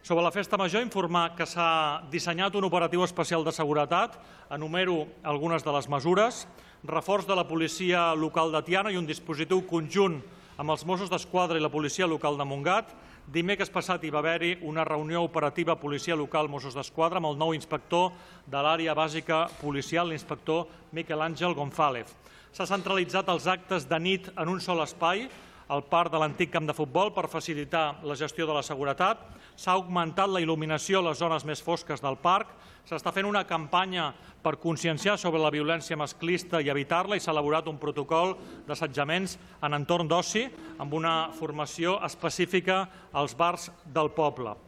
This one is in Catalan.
Sobre la festa major, informar que s'ha dissenyat un operatiu especial de seguretat. Enumero algunes de les mesures. Reforç de la policia local de Tiana i un dispositiu conjunt amb els Mossos d'Esquadra i la policia local de Montgat. Dimecres passat hi va haver-hi una reunió operativa policia local Mossos d'Esquadra amb el nou inspector de l'àrea bàsica policial, l'inspector Miquel Àngel González. S'ha centralitzat els actes de nit en un sol espai, al parc de l'antic camp de futbol, per facilitar la gestió de la seguretat. S'ha augmentat la il·luminació a les zones més fosques del parc. S'està fent una campanya per conscienciar sobre la violència masclista i evitar-la i s'ha elaborat un protocol d'assetjaments en entorn d'oci amb una formació específica als bars del poble.